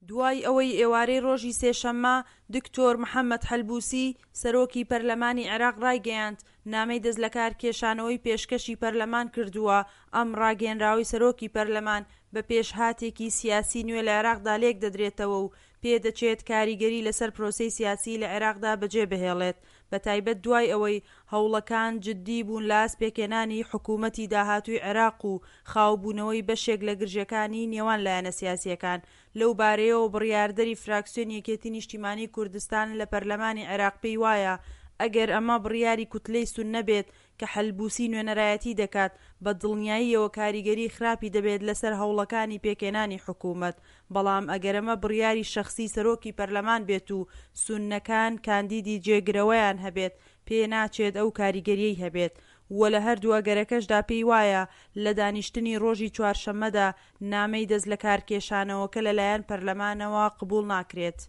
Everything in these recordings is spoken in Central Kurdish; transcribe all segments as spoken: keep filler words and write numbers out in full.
دوای ئەوەی ئێوارەی ڕۆژی سێشەممە دکتۆر محەمەد حەلبوسی، سەرۆکی پەرلەمانی عێراق ڕایگەیاند، نامەی دەستلەکارکێشانەوەی پێشکەشی پەرلەمان کردووە، ئەم ڕاگەیەنراوەی سەرۆکی پەرلەمان بە پێشهاتێکی سیاسی نوێ لە عێراقدا لێکدەدرێتەوە و پێدەچێت کاریگەری لەسەر پرۆسەی سیاسی لە عێراقدا بەجێبهێڵێت بەتایبەت دوای ئەوەی هەوڵەکان جددی بوون لە ئاست پێکهێنانی حکوومەتی داهاتووی عێراق و خاوبوونەوەی بەشێک لە گرژییەکانی نێوان لایەنە سیاسییەکان. لەو بارەیەوە بڕیاردەری فراکسیۆنی یەکێتی نیشتیمانی کوردستان لە پەرلەمانی عێراق پێی وایە ئەگەر ئەمە بڕیاری کوتلەی سوننە بێت کە حەلبوسی نوێنەرایەتی دەکات بە دڵنیاییەوە کاریگەری خراپی دەبێت لەسەر هەوڵەکانی پێکهێنانی حکومەت بەڵام ئەگەر ئەمە بڕیاری شەخسی سەرۆکی پەرلەمان بێت و سوننەکان کاندیدی جێگرەوەیان هەبێت پێناچێت ئەو کاریگەریەی هەبێت و لە هەردوو ئەگەرەکەشدا پێی وایە لە دانیشتنی ڕۆژی چوارشەممەدا نامەی دەستلەکارکێشانەوەکە لەلایەن پەرلەمانەوە قبوڵ ناکرێت.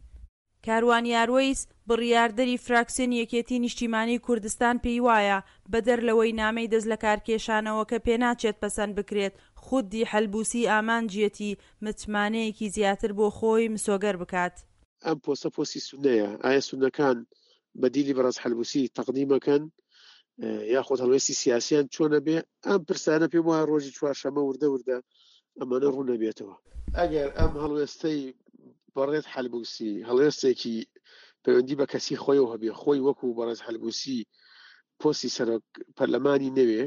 کاروان یاروەیس، بڕیاردەری فراکسیۆنی یەکێتی نیشتیمانی کوردستان پێیوایە، بەدەر لەوەی نامەی دەستلەکارکێشانەوەکە پێناچێت پەسەند بکرێت، خودی حەلبوسی ئامانجیەتی متمانەیەکی زیاتر بۆ خۆی مسۆگەر بکات. ئەم پۆستە پۆستی سوننەیە، ئایا سوننەکان بەدیلی بەڕێز حەلبوسی تەقدیم ئەکەن یاخود هەڵوێستی سیاسیان چۆنە بێ؟ ئەم پرسانە پێم وایە ڕۆژی چوارشەممە وردە وردە ئەمانە ڕوون ئەبێتەوە. ئەگەر ئەم هەڵوێستەی بەڕێز حەلبوسی هەڵوێستێکی پەیوەندی بە کەسی خۆیەوە هەبێ، خۆی وەکو بەڕێز حەلبوسی پۆستی سەرۆک پەرلەمانی نەوێ،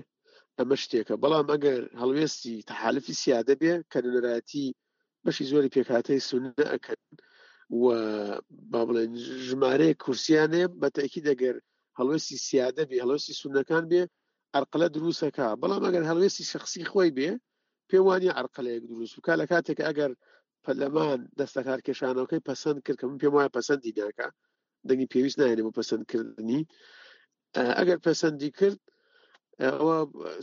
ئەمە شتێکە. بەڵام ئەگەر هەڵوێستی تەحالفی سیادە بێ کە نوێنەرایەتی بەشی زۆری پێکهاتەی سوننە ئەکەن و با بڵێن ژمارەیەک کورسیان هەیە، بە تەئکید ئەگەر هەڵوێستی سیادە بێ، هەڵوێستی سوننەکان بێ، عەرقەلە دروستەکا. بەڵام ئەگەر هەڵوێستی شەخسی خۆی بێ، پێم وانیە عەرقەلەیەک دروست بکا. لە کاتێک ئەگەر پەرلەمان دەستەکارکێشانەوەکەی پەسەند کرد، کە من پێم وایە پەسەندی ناکا، دەنگی پێویست ناهێنێ بۆ پەسەندکردنی، ئەگەر پەسەندی کرد ئەوە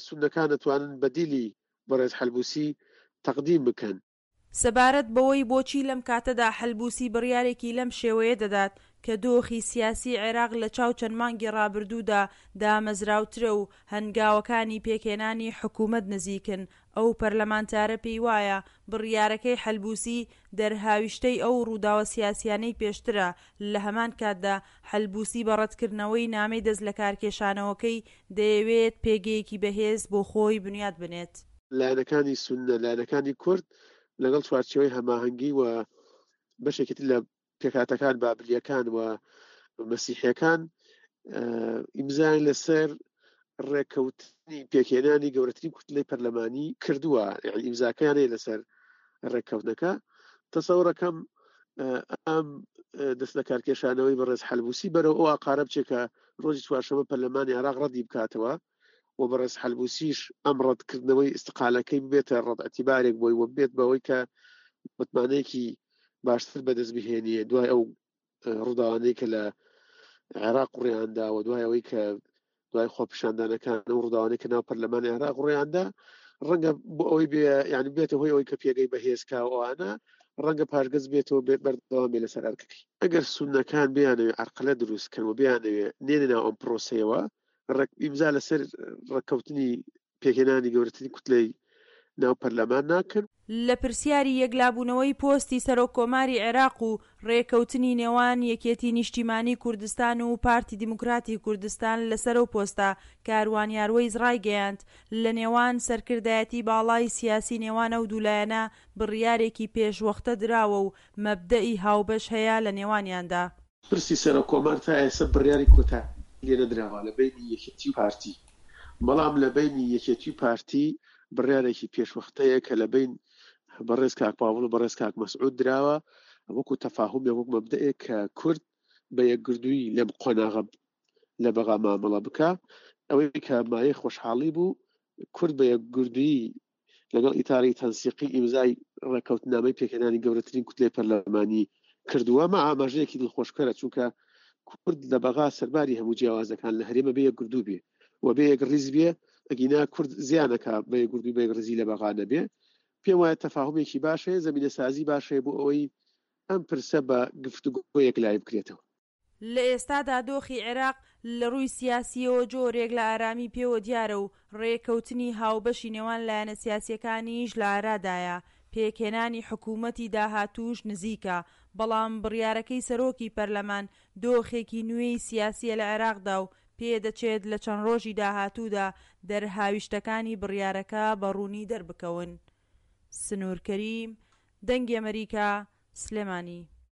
سوننەکان دەتوانن بەدیلی بەڕێز حەلبوسی تەقدیم بکەن. سەبارەت بەوەی بۆچی لەم کاتەدا حەلبوسی بڕیارێکی لەم شێوەیە دەدات کە دۆخی سیاسی عێراق لە چاو چەند مانگی ڕابردوودا دامەزراوترە و هەنگاوەکانی پێکهێنانی حکومەت نزیکن، ئەو پەرلەمانتارە پێیوایە بڕیارەکەی حەلبوسی دەرهاویشتەی ئەو ڕووداوە سیاسیانەی پێشترە، لە هەمان کاتدا حەلبوسی بە ڕەتکردنەوەی نامەی دەستلەکارکێشانەوەکەی دەیەوێت پێگەیەکی بەهێز بۆ خۆی بنیات بنێت. لایەنەکانی سوننە، لایەنەکانی کورد لەگەڵ چوارچێوەی هەماهەنگی و بەشێکی تر لە پێکهاتەکان، بابلییەکان و مەسیحیەکان، ئیمزایان لەسەر ڕێککەوتنی پێکهێنانی گەورەترین کوتلەی پەرلەمانی کردووە، یعنی ئیمزاکەیان هەیە لەسەر ڕێککەوتنەکە. تەسەورەکەم ئەم دەست لەکارکێشانەوەی بەڕێز حەلبوسی بەرەو ئەو ئاقارە بچێت کە ڕۆژی چوارشەممە پەرلەمانی عێراق ڕەدی بکاتەوە و بەڕێز حەلبوسیش ئەم ڕەتکردنەوەی ئیستقالەکەی ببێتە ڕەت ئەتیبارێک بۆی و بێت بەوەی کە متمانەیەکی باشتر بەدەست بهێنیە دوای ئەو ڕووداوانەی کە لە عێراق ڕێیاندا و دوای ئەوەی کە دوای خۆپیشاندانەکان و ڕووداوانەی کە ناو پەرلەمانی عێراق ڕێیاندا، ڕەنگە بۆ ئەوەی بێ، یعنی بێتە هۆی ئەوەی کە پێگەی بەهێز کا و ئەوانە، ڕەنگە پاشگەز بێتەوە بێت بەردەوام بێ لەسەر ئەرکەکەی. ئەگەر سوننەکان بیانەوێ عەرقەلە دروست کەن و بیانەوێ نێنە ناو ئەم پرۆسەیەوە، ڕێک ئیمزا لەسەر ڕێککەوتنی پێکهێنانی گەورەترین کوتلەی ناو پەرلەمان ناکەن. لە پرسیاری یەکلابوونەوەی پۆستی سەرۆک کۆماری عێراق و رێکەوتنی نێوان یەکێتی نیشتیمانی کوردستان و پارتی دیموکراتی کوردستان لەسەر ئەو پۆستە، کاروان یاروەیس رایگەیاند، لە نێوان سەرکردایەتی باڵای سیاسی نێوان ئەو دوو لایەنە بڕیارێکی پێشوەختە دراوە و مەبدەئی هاوبەش هەیە لە نێوانیاندا. پرسی سەرۆک کۆمار تا ئێستا بڕیاری کۆتایی لێنەدراوە لە بەینی یەکێتی و پارتی، بەڵام لە بەینی یەکێتی و پارتی بڕیارێکی پێشوەختەیە کە لە بەین بەڕێز کاک پاڤڵ و بەڕێز کاک مەسعود دراوە وەکو تەفاهومێک، وەک مەبدەئێک کە کورد بە یەکگرتوویی لەم قۆناغە لە بەغا مامەڵە بکا. ئەوەی کە مایەی خۆشحاڵی بوو کورد بە یەکگرتوویی لەگەڵ ئیتاری تەنسیقی ئیمزای ڕێککەوتنامەی پێکهێنانی گەورەترین کوتلەی پەرلەمانی کردووە. ئەمە ئاماژەیەکی دڵخۆشکەرە، چونکە کورد لە بەغا سەرباری هەموو جیاوازەکان لە هەرێمە بێ یەکگرتوو بێ و بێ یەکڕیز بێ، ئەگینا کورد زیانەکا بە یەکگرتووی بە یەکڕیزی لە بەغا نەبێ. پێم وایە تەفاهومێکی باش هەیە، زەمینەسازی باش هەیە بۆ ئەوەی ئەم پرسە بە گفتوگۆ یەکلایی بکرێتەوە. لە ئێستادا دۆخی عێراق لە ڕووی سیاسییەوە جۆرێک لە ئارامی پێوە دیارە و ڕێککەوتنی هاوبەشی نێوان لایەنە سیاسییەکانیش لە ئارادایە. پێکهێنانی حکوومەتی داهاتووش نزیکە، بەڵام بڕیارەکەی سەرۆکی پەرلەمان دۆخێکی نوێی سیاسییە لە عێراقدا و پێدەچێت لە چەند ڕۆژی داهاتوودا دەرهاویشتەکانی بڕیارەکە بە ڕوونی دەربکەون. سنوور کەریم، دەنگی ئەمەریکا، سلێمانی.